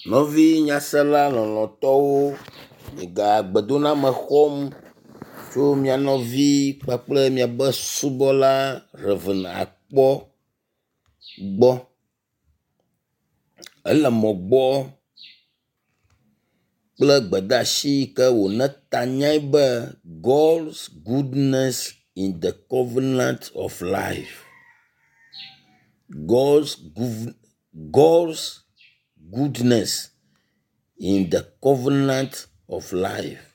Nɔvi nyasela lɔlɔ̃tɔwo, miega gbedoname xɔm tso mia nɔvi kpakple miaƒe subɔla Rev. Akpɔ gbɔ. Ele mɔ gbɔ kple gbedeasi yi ke wòna tanyae be God's goodness in the covenant of life. God's God's goodness in the covenant of life.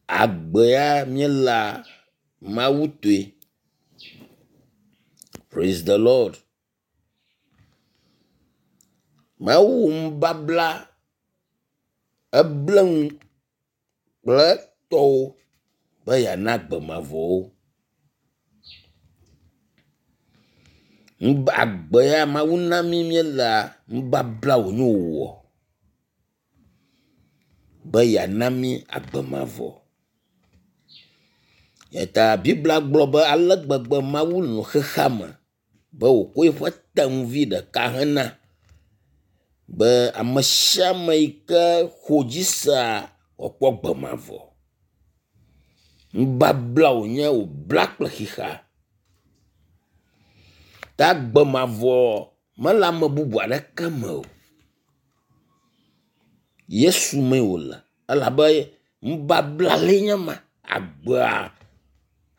Agbea míelea Mawu tɔe. Praise the Lord. Mawu nubabla eble nu kple etɔwo be yeana agbe mavɔ wo. Nub agbe ya Mawu na mí míelea, nubabla wònye wòwɔ be yeana mí agbe mavɔ. Eya ta Biblia gblɔ be ale gbegbe Mawu lɔ̃ xexeame be wòkɔ eƒe tenuvi ɖeka hena be ame sia ame yi ke xɔ dzi sea wòakpɔ agbe mavɔ. Nubabla wònye wòbla kple xexea. Ta agbe mavɔ mele ame bubu aɖeke me o. Yesu mee wòle elabe nubabla lae nye ma. Agbea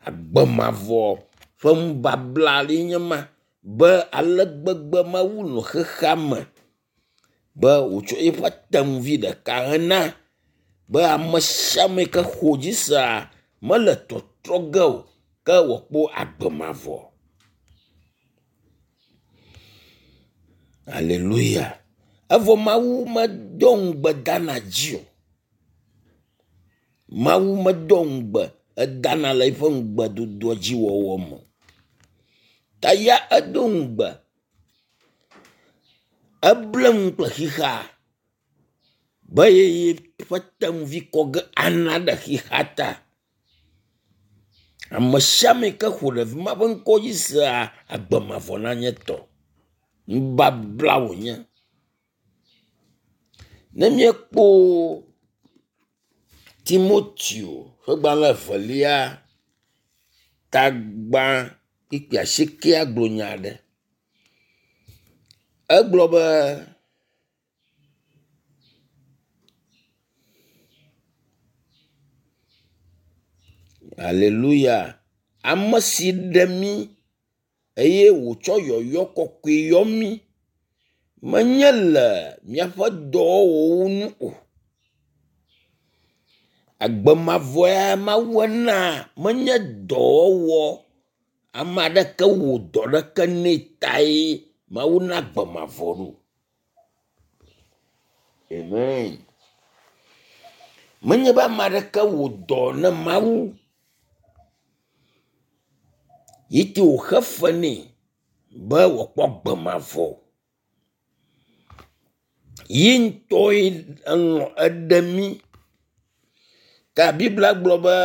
agbe mavɔ ƒe nubabla lae nye ma be ale gbegbe Mawu lɔ̃ xexeame be wòtsɔ eƒe tenuvi ɖeka hena be ame sia ame yi ke xɔ dzi sea mele tɔtrɔ ge o ke wòakpɔ agbe mavɔ. Aleluya. Evɔ Mawu medo ŋugbe dana dzi o. Mawu medo ŋugbe edana le eƒe ŋugbedodoa dzi wɔwɔ me. Ta ya edo ŋugbe eble nu kple xexea be ye yeƒe tenuvi kɔ ge ana ɖe xexea ta. Ame sia ame yi ke xɔ ɖevi ma ƒe ŋkɔ dzi sea, agbe mavɔ nanye etɔ. Nubabla wònye. Ne míekpɔ Timoteo ƒe gbalẽ evelia tagbã kpukpui asiekɛa gblɔ nya aɖe. Egblɔ be Aleluya. Ame si ɖe mí eye wòtsɔ yɔyɔ kɔkɔe yɔ mí menye le míaƒe dɔwɔwɔwo nu o. Agbe mavɔ ya Mawu ena menye dɔwɔwɔ ame aɖeke wɔ dɔ ɖeke nɛ tae Mawu na agbe mavɔ ɖo. Amen. Menye be ame aɖeke wɔ dɔ ne Mawu yi te wòxe fe nɛ be wòakpɔ agbe mavɔ. Yi ŋutɔe elɔ̃ eɖe mí. Ta Biblia gblɔ be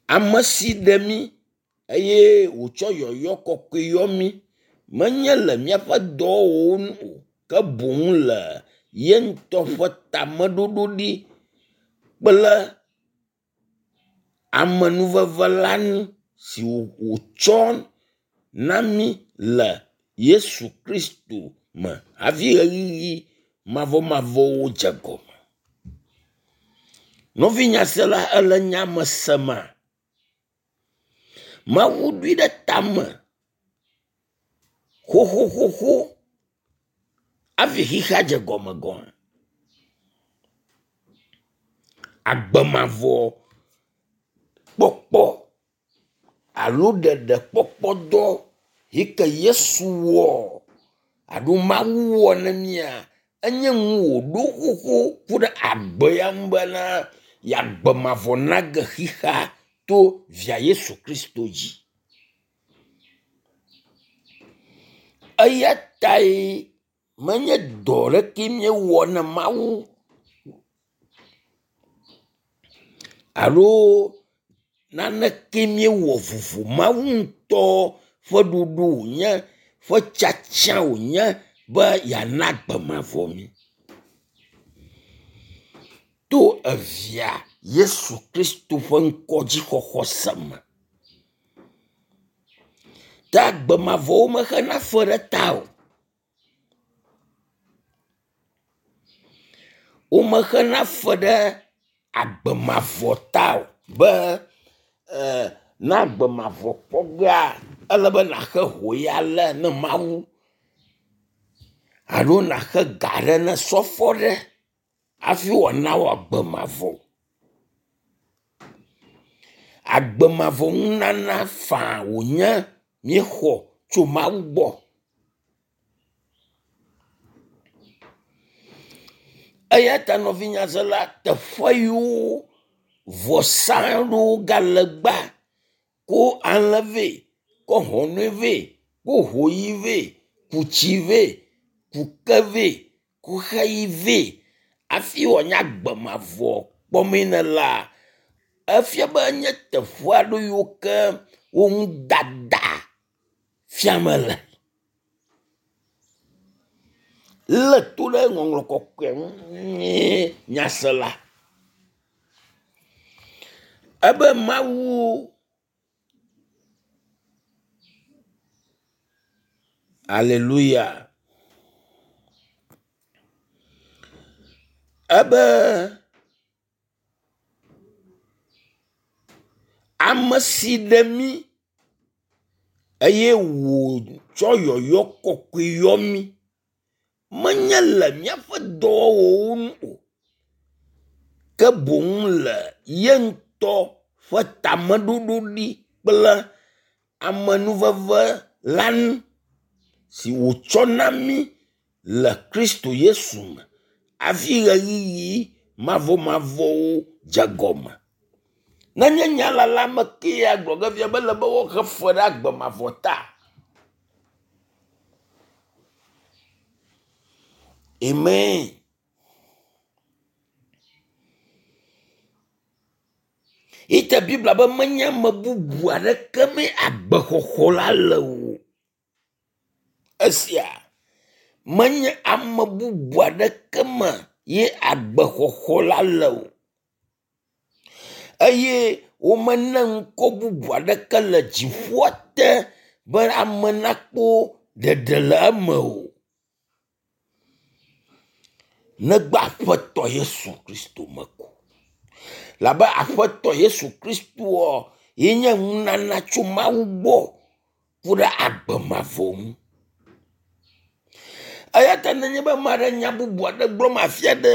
ame si ɖe mí eye wòtsɔ yɔyɔ kɔkɔe yɔ mí menye le míaƒe dɔwɔwɔwo nu o ke boŋ le ye ŋutɔ ƒe tameɖoɖo ɖi kple amenuveve la nu si wòtsɔ na mí le Yesu Kristo me hafi ɣeyiɣi mavɔmavɔwo dze gɔme. Nɔvi nyasela ele nya me sema? Mawu ɖoe ɖe tame xoxoxoxo hafi xexea dze gɔme gɔ̃. Agbe mavɔ kpɔkpɔ alo ɖeɖekpɔkpɔdɔ yi ke Yesu wɔ alo Mawu wɔ na mía enye nu wòɖo xoxo ku ɖe agbe ya ŋu bena yeagbe mavɔ nage xexea to via Yesu Kristo dzi. Eya tae menye dɔ ɖeke míewɔ na Mawu alo naneke míewɔ vovo. Mawu ŋutɔ ƒe ɖoɖo wònye. ƒe tiatia wònye be yeana agbe mavɔ mí. To evia Yesu Kristo ƒe ŋkɔ dzixɔxɔ se me. Ta agbe mavɔ womexena fe ɖe ta o. Womexena fe ɖe agbe mavɔ ta o be na agbe mavɔ kpɔ gea ele be nàxe ho ya le ne Mawu alo nàxe ga ɖe ne sɔfɔ ɖe hafi wòana wò agbe mavɔ. Agbe mavɔ nunana faa wònye míexɔ tso Mawu gbɔ. Eya ta nɔvinyazela teƒe yiwo vɔsa ɖewo gale gbea ko alẽ vɛ, kɔ hɔnɔe vɛ, ko hoyi vɛ, ku tsi vɛ, ku ke vɛ, ku xeyi vɛ hafi wòanye agbe mavɔ kpɔmee nelea, efia be enye teƒe aɖe yiwo ke wo ŋudada fiame le. Lé to ɖe ŋɔŋlɔ kɔkɔe ŋu nyuie nyasela. Ebe Mawu Aleluya. Ebe ame si ɖe mí eye wòtsɔ yɔyɔ kɔkɔe yɔ mí menye le míaƒe dɔwɔwɔwo nu o, ke boŋ le ye ŋutɔ ƒe tameɖoɖo ɖi kple amenuveve la nu si wòtsɔ na mí le Kristo Yesu me hafi ɣeyiɣi mavɔmavɔwo dze gɔme. Nenye nya la la me kee agblɔ ge fia be ele be woaxe fe ɖe agbe mavɔ ta. Amen. Ite Biblia be menye ame bubu aɖeke mee agbexɔxɔ la le o. Esia menye ame bubu aɖeke me ye agbexɔxɔ la le o. Eye womene ŋkɔ bubu aɖeke le dziƒoa te be ame nakpɔ ɖeɖe le eme o. Negbe Aƒetɔ Yesu Kristo me ko. Labe Aƒetɔ Yesu Kristoa ye nye nunana tso Mawu gbɔ ku ɖe agbe mavɔ ŋu. Eya ta nenye be ame aɖe nya bubu aɖe gblɔm afia ɖe,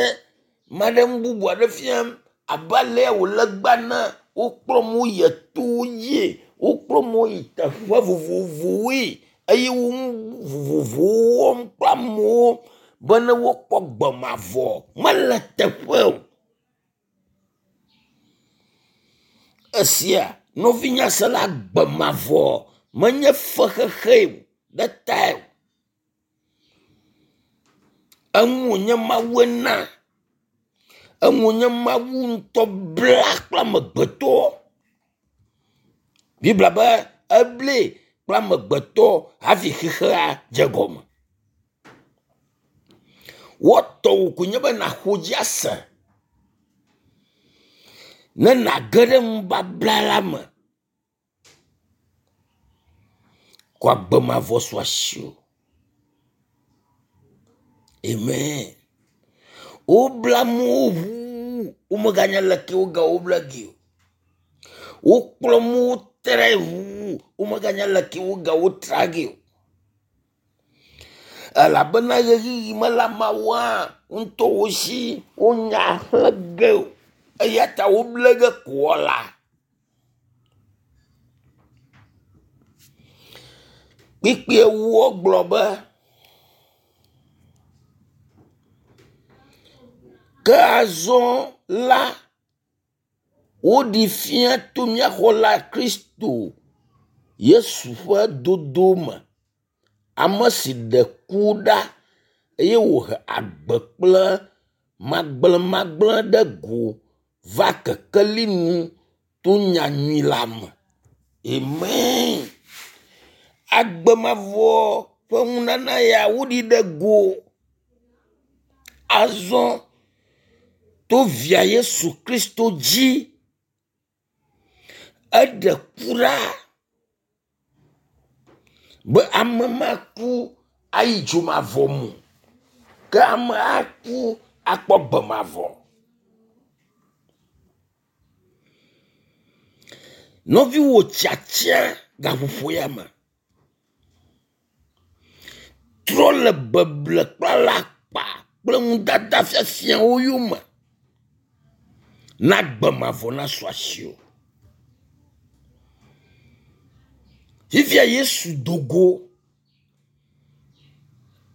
ame aɖe nu bubu aɖe fiam abe alea wòle gbea ne wokplɔ mo yi etowo dzie, wokplɔ mo yi teƒe vovovowoe eye wo nu vovovowo wɔm kple amewo be ne wokpɔ gbe mavɔ mele teƒe o. Esia nɔvinyasela gbe mavɔ menye fexexe o ɖe tae o. Eŋu wònye Mawu ena. Eŋu wònye Mawu ŋutɔ bla kple amegbetɔ. Biblia be eblae kple amegbetɔ hafi xexea dze gɔme. Woatɔ wò koe nye be nàxɔ dzi ase ne nàge ɖe nubabla la me. Ko agbe mavɔ su asiwò. Amen. Wobla amewo ʋuu womeganya leke wogawo bla ge o. Wokplɔ amewo trae ʋuu womeganya leke wogawo tra ge o. Elabena ɣeyiɣi mele ameawoa ŋutɔ wo si wonya xlẽ ge o. Eya ta woble ge kɔla. Kpikpi ewoa gblɔ be ke azɔ la woɖi fia to mía xɔla Kristo Yesu ƒe dodo me. Ame si ɖe ku ɖa eye wòhe agbe kple magblẽmagblẽ ɖe go va kekeli nu to nyanyui la me. Amen. Agbe mavɔ ƒe nunana ya woɖi ɖe go. Azɔ to via Yesu Kristo dzi eɖe ku ɖa be ame maku ayi dzomavɔ me o, ke ame aku akpɔ gbe mavɔ. Nɔviwò tiatia gaƒoƒo ya me trɔ le beble kple alakpa kple nudada fiafiawo yome na gbe mavɔ nasu asiwò. Fifia Yesu do go.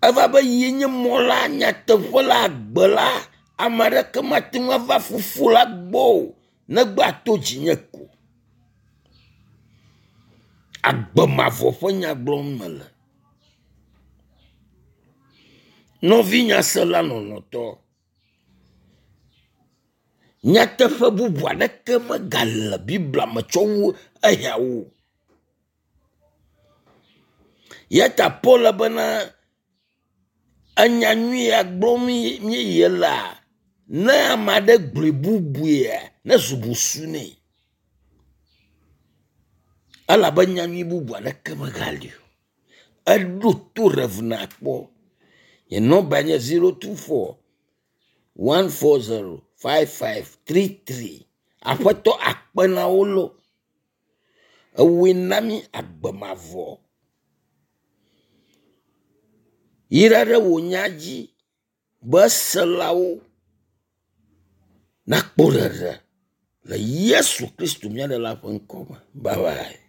Eva be ye nye mɔ la, nyateƒe la, agbe la. Ame aɖeke mate ŋu ava fofo la gbɔ o negbe ato dzinye ko. Agbe mavɔ ƒe nya gblɔm mele. Nɔvi nyasela lɔlɔ̃tɔ, nyateƒe bubu aɖeke megale Biblia me tsɔ wu eya o. Ya ta Paul bena enya nyui ya gblɔm míeye lea, ne ame aɖe gblɔe bubuia, nezu busu nɛ. Elabe nyanyui bubu aɖeke megali o. Eɖo to Rev nakpɔ. Nye nɔmba nye 024 140 5533. Aƒetɔ akpe na wo lo. Ewòe na mí agbe mavɔ. Yra ɖe wò nya dzi be eselawo nakpɔ ɖeɖe le Yesu Kristo mía Ɖela ƒe ŋkɔ me. Bye bye.